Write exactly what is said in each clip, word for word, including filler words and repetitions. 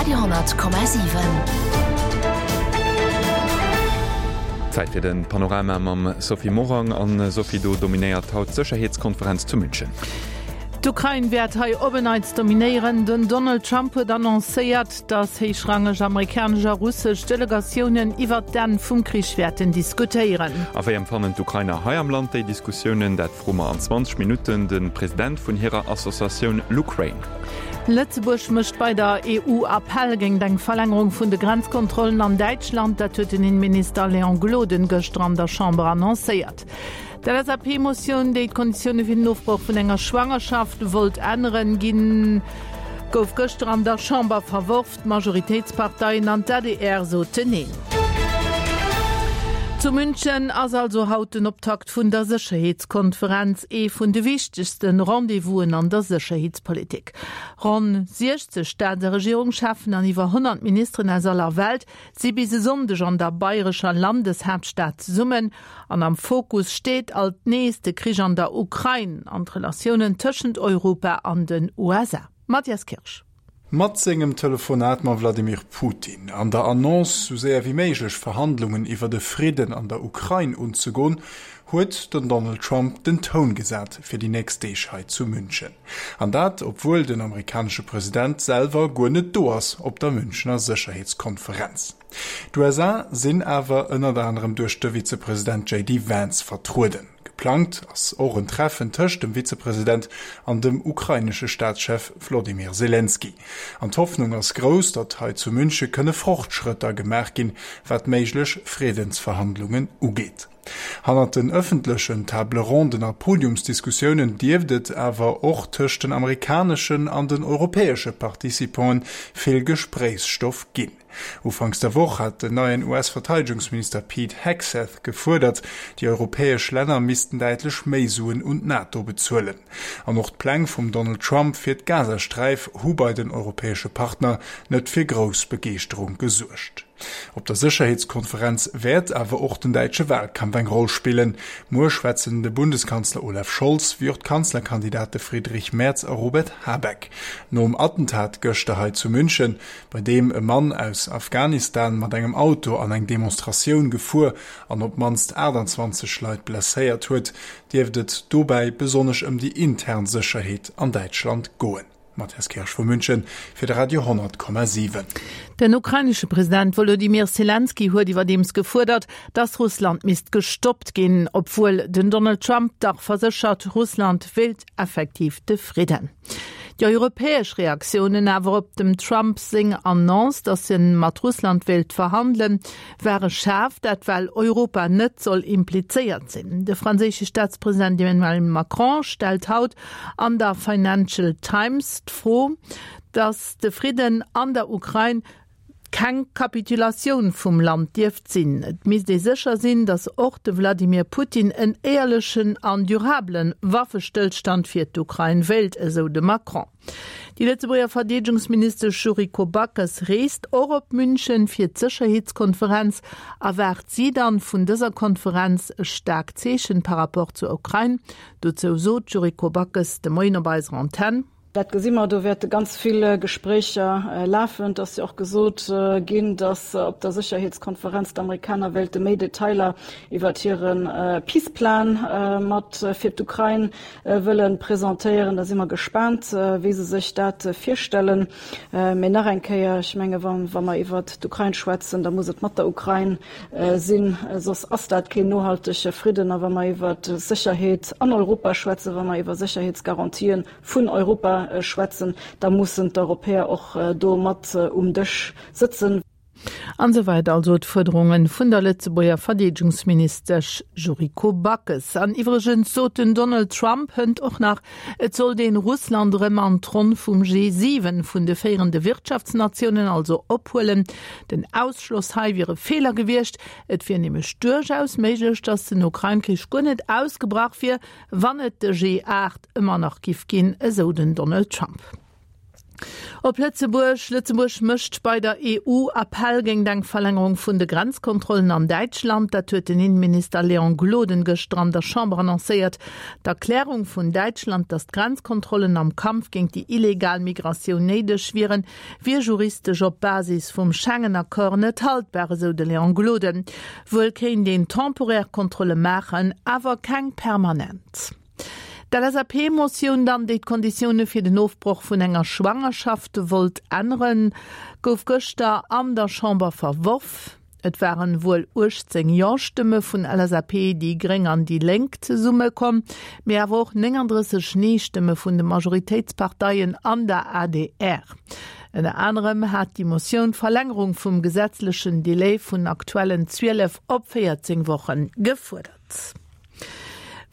Radio honnert Komma siwen. Zäit fir de Panorama mam Sophie Morang. An Sophie, do dominéiert haut d'Sécherheetskonferenz zu München. D'Ukrain wäert hei op en Neits dominéieren. Den Donald Trump huet annoncéiert, datt héichrangeg amerikanesch a russesch Delegatiounen iwwert d'Enn vum Krich wäerten diskutéieren. A wéi empfannen d'Ukrainer hei am Land déi Diskussiounen? Dat froe mer an zwanzeg Minutten de President vun hirer Associatioun LUkraine. Lëtzebuerg mécht bei der E U Appell géint eng Verlängerung vun de Grenzkontrollen an Däitschland. Dat huet den Inneminister Léon Gloden gëschter an der Chamber annoncéiert. D'L S A P-Motioun, déi d'Konditioune fir den Ofbroch vun enger Schwangerschaft wollt änneren, ginn, gouf gëschter an der Chamber verworf. D'Majoritéitsparteien an d'A D R soten Neen. Zu München ass also haut den Optakt vun der Sécherheetskonferenz, ee vun de wichtegste Rendez-vousen an der Sécherheetspolitik. Ronn siechzeg Staats a Regierungscheffen an iwwer honnert Ministeren aus aller Welt si bis e Sonndeg an der bayrescher Landeshaaptstad zesummen an am Fokus steet alt nees de Krich an der Ukrain an d'Relatiounen tëschent Europa an den U S A. Mathias Kirsch. Mat sengem Telefonat mam Wladimir Putin an der Annonce, sou séier wéi méiglech Verhandlungen iwwer de Fridden an der Ukrain unzegoen, huet den Donald Trump den Toun gesat fir déi nächst Deeg hei zu München. An dat, obwuel den amerikanesche President selwer guer net do ass op der Münchener Sécherheetskonferenz. D'U S A sinn awer ënnert anerem duerch de Vizepresident J D Vance vertrueden. Geplangt ass och en Treffen tëscht dem Vizepresident an dem ukrainesche Staatschef Wolodymyr Selenskyj. An d'Hoffnung ass grouss, datt hei zu Münche kënne Fortschrëtter gemaach ginn, wat méiglech Friddensverhandlungen ugeet. Hannert den ëffentlechen Table-ronden a Podiumsdiskussiounen dierft et awer och tëscht den amerikaneschen an den europäesche Participanten vill Gespréichsstoff ginn. Ufanks der Woch hat den neien U S-Verteidegungsminister Pete Hegseth gefuerdert, déi europäesch Länner missten däitlech méi Suen un d'NATO bezuelen. An och d'Pläng vum Donald Trump fir d'Gazasträif hu bei den europäesche Partner net fir grouss Begeeschterung gesuergt. Op der Sécherheetskonferenz wäert awer och den däitsche Walkampf eng Roll spillen. Muer schwätzen de Bundeskanzler Olaf Scholz wéi och d'Kanzlerkandidate Friedrich Merz a Robert Habeck. Nom Attentat gëschter hei zu München, bei deem e Mann aus Afghanistan mat engem Auto an eng Demonstratioun gefuer an op d'mannst aachtanzwanzeg Leit blesséiert huet, dierft et dobäi besonnesch ëm déi intern Sécherheet an Däitschland goen. Mathias Kirsch vu München fir de Radio honnert Komma siwen. Den ukrainesche President Wolodymyr Selenskyj huet iwwerdeems gefuerdert, datt Russland misst gestoppt ginn, obwuel den Donald Trump dach verséchert, Russland wéilt effektiv de Fridden. Déi europäesch Reaktiounen awer op dem Trump seng Annonce, datt e mat Russland wéilt verhandelen, ware schaarf, dat well Europa net soll implizéiert sinn. De franséische Staatspresident Emmanuel Macron stellt haut an der Financial Times d'Fro, datt de Fridden an der Ukrain keng Kapitulatioun vum Land dierft sinn. Et misst ee sécher sinn, datt och de Wladimir Putin en éierlechen an durabelen Waffestëllstand fir d'Ukrain wéilt, esou de Macron. Déi Lëtzebuerger Verdeedegungsministesch Yuriko Backes reest och op München fir d'Sécherheetskonferenz. Erwaart si dann vun dëser Konferenz e staarkt Zeechen par rapport zur Ukrain? Dozou sot d'Yuriko Backes de Moien op eiser Antenn. Dat gesi mer, do wäerte ganz vill Gespréicher lafen. Et ass jo och gesot ginn, datt op der Sécherheetskonferenz d'Amerikaner wéilte méi Detailer iwwert hire Peace Plan mat fir d'Ukrain wëlle presentéieren. Da si mer gespaant, wéi se sech dat virstellen. Mee nach eng Kéier, ech menge wa mer iwwert d'Ukrain schwätzen, da muss et mat der Ukrain sinn, soss ass dat keen nohaltege Fridden. A wa mer iwwert Sécherheet an Europa schwätzen, wa mer iwwer Sécherheetsgarantien vun Europa schwätzen, da mussen d'Europäer och do mat um Dësch sëtzen. An esouwäit also d'Fuerderunge vun der Lëtzebuerger Verdeedegungsministesch Yuriko Backes. An iwwregens sot den Donald Trump hënt och nach, et sollt een Russland erëm an d'Ronn vum G siwen vun de féierende Wirtschaftsnatiounen also ophuelen. Den Ausschloss hei wier e Feeler gewiescht. Et wier nämlech duerchaus méiglech, datt den Ukrain-Krich guer net ausgebrach wier, wann et de G aacht ëmmer nach giff ginn, esou den Donald Trump. Op Lëtzebuerg, Lëtzebuerg mécht bei der E U Appell géint eng Verlängerung vun de Grenzkontrollen an Däitschland. Dat huet den Inneminister Léon Gloden gëschter an der Chamber annoncéiert. D'Erklärung vun Däitschland, datt d'Grenzkontrollen am Kampf géint déi illegal Migratioun néideg wieren, wier juristesch op Basis vum Schengen-Accord net haltbar, esou de Léon Gloden. Wuel kéint een temporär Kontrolle maachen, awer keng permanent. D'L S A P-Motioun dann, déi d'Konditioune fir den Ofbroch vun enger Schwangerschaft wollt änneren, gouf gëschter an der Chamber verworf. Et waren wuel uechtzéng Jo-Stëmme vun L S A P, déi Gréng an déi Lénk zesumme komm, mee awer och nénganddrësseg Nee-Stëmme vun de Majoritéitsparteien an der A D R. Ënner anerem hat déi Motioun d'Verlängerung vum gesetzlechen Delai vun aktuellen zwielef op véierzéng Woche gefuerdert.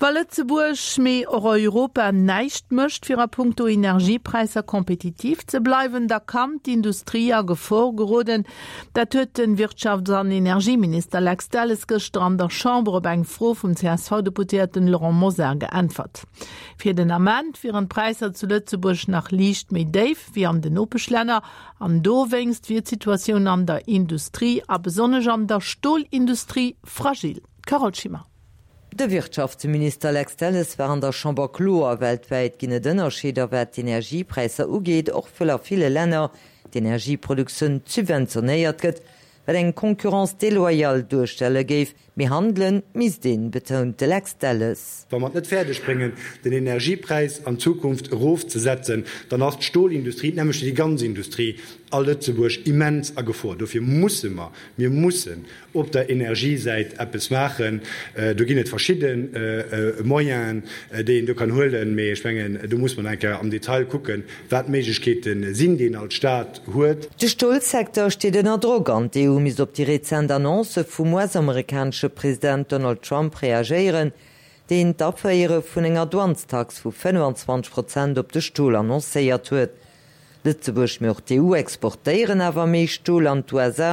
Wa Lëtzebuerg, mee och Europa näischt mécht, fir a punkto Energiepräisser kompetitiv ze bleiwen, da kann d'Industrie a Gefor geroden. Dat huet de Wirtschafts an Energieminister Lex Delles gëschter an der Chamber op eng Fro vum C S V-Deputéierten Laurent Mosar geäntwert. Fir den Ament wieren d'Präisser zu Lëtzebuerg nach liicht méi déif wéi an den Nopeschlänner an dowéinst wier d'Situatioun an der Industrie a besonnesch an der Stolindustrie fragil. Carole Schimmer. De Wirtschaftsminister Lex Delles war an der Chamber kloer, weltwäit ginn et Ënnerscheeder wat d'Energiepräisser ugeet, och well a ville Länner d'Energieproduktioun subventionéiert gëtt, wat eng Concurrence déloyale duerstelle géif. Mee handele misst een, betount de Lex Delles. Wa mer et net fäerdeg bréngen, den Energiepräis an Zukunft erofzesetzen, dann ass d'Stolindustrie, nämlech déi ganz Industrie a Lëtzebuerg, immens a Gefor. Dofir musse mer, mir mussen op der Energiesäit eppes maachen. Do ginn et verschidde Moyenen, déi een do kann huelen, mee ech mengen, do muss mer eng Kéier am Detail kucken, wat d'Méiglechkeete sinn, déi een als Staat huet. De Stolsecteur steet ënner Drock an d'E U misst op déi rezent Annoncë vum U S-amerikanesche President Donald Trump reagéieren, deen d'Aféiere vun enger Douanestax vu fënnfanzwanzeg Prozent op de Stol annoncéiert huet. Lëtzebuerg mee och d'E U exportéieren awer méi Stol an d'U S A,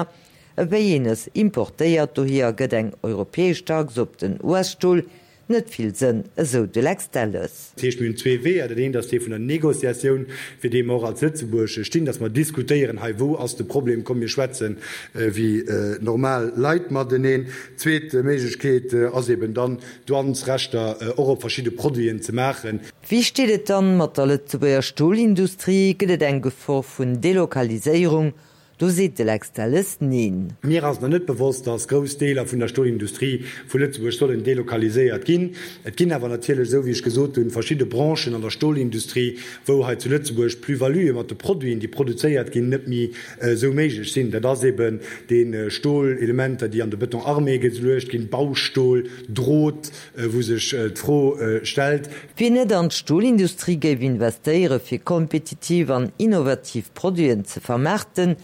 ewéi een es importéiert, dohier gëtt eng europäesch Tax op den U S-Stol net vill Sënn, esou de Lex Delles. Dat heescht, mir hunn zwee Weeër. Dat eent ass dee vun der Négociatioun, fir dee mer och als Lëtzebuerg stinn, dass mer diskutéieren, hei, wou ass de Problem, komm mir schwätzen wéi normal Leit mateneen. Zweet Méiglechkeet ass eben dann, Douanesrechter och op verschidde Produiten ze maachen. Wéi steet et dann mat der Lëtzebuerger Stolindustrie? Gëtt et eng Gefor vun Delokaliséierung? Do seet de Lex Delles neen. Mir ass nach net bewosst, dass grouss Deeler vun der Stolindustrie vu Lëtzebuerg sollen delokaliséiert ginn. Et ginn awer natierlech, esou wéi ech gesot hunn, verschidde Branchen an der Stolindustrie, wou hei zu Lëtzebuerg d'Plus-valuë mat de Produiten, déi produzéiert ginn, net méi esou méiglech sinn. Dat ass eben dee Stolelementer, déi an de Béton armé geluecht ginn, Baustol, Drot, wou sech d'Fro stellt. Wien net an d'Stolindustrie géif investéiere fir kompetitiv an innovativ Produiten ze vermaarten,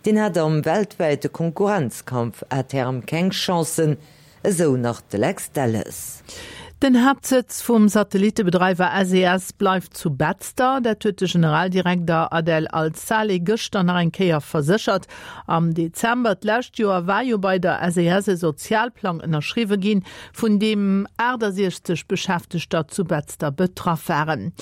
deen hätt am weltwäite Konkurrenzkampf à terme keng Chancen, esou nach de Lex Delles. Den Haaptsëtz vum Satellitebedreiwer S E S bleift zu Betzder, dat huet de Generaldirekter Adel Al-Saleh gëschter nach eng Kéier verséchert. Am Dezember d'lescht Joer war jo bei der S E S e Sozialplang ënnerschriwwe ginn, vun deem aachtasechzeg Beschäftegter zu Betzder betraff waren.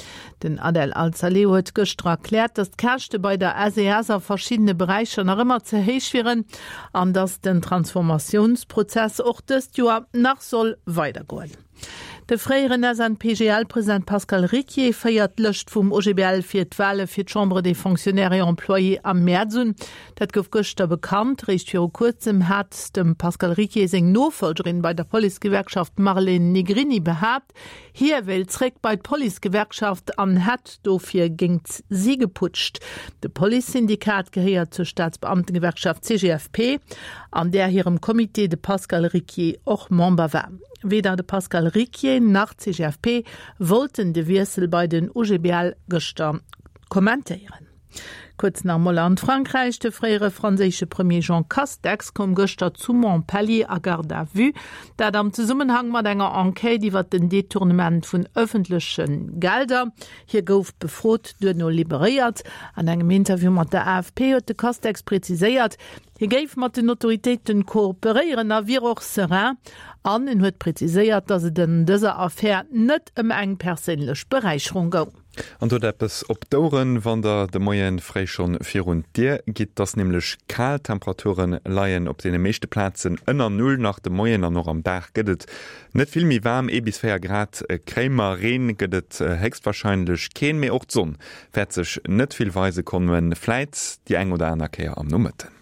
Den Adel Al-Saleh huet gëschter erkläert, datt d'Käschte bei der S E S a verschiddene Beräicher nach ëmmer ze héich wieren an datt den Transformatiounsprozess och dëst Joer nach soll weidergoen. De fréieren S N P G L-President Pascal Ricquier féiert d'Lëscht vum O G B L fir d'Wale fir d'Chambre des Fonctionnaires et Employés am Mäerz un. Dat gouf gëschter bekannt. Réischt viru kuerzem hat dem Pascal Ricquier seng Nofollgerin bei der Policegewerkschaft Marlene Negrini behaapt, hie wéilt zréck bei d'Policegewerkschaft an hätt dofir géint si geputscht. De Policesyndikat gehéiert zur Staatsbeamtengewerkschaft C G F P, an där hirem Comité de Pascal Ricquier och Member war. Weder de Pascal Ricquier nach d'C G F P wollten de Wiessel bei den O G B L gëschter kommentéieren. Kuerz nach mol an Frankräich: De fréiere franséische Premier Jean Castex koum gëschter zu Montpellier a Garde à vue, dat am Zesummenhang mat enger Enquête iwwer den Detournement vun ëffentleche Gelder. Hie gouf befrot, duerno liberéiert. An engem Interview mat der A F P huet de Castex präziséiert, hie géif mat den Autoritéiten kooperéieren a wier och serein an en huet präziséiert, datt et an dëser Affär net ëm eng perséinlech Beräicherung goung. An dot eppes op d'Oueren, wann der de Moien fréi schonn virun d'Dier gitt. 't ass nämlech kal, d'Temperaturen leien op deene meeschte Plazen ënner Null nach de Moien an och am Dag gëtt et net vill méi waarm, ee bis véier Grad kréie mer. Reen gëtt et héchstwarscheinlech keen, mee och d'Sonn wäert sech net vill weise kommen, vläit déi eng oder aner Kéier am Nomëtten.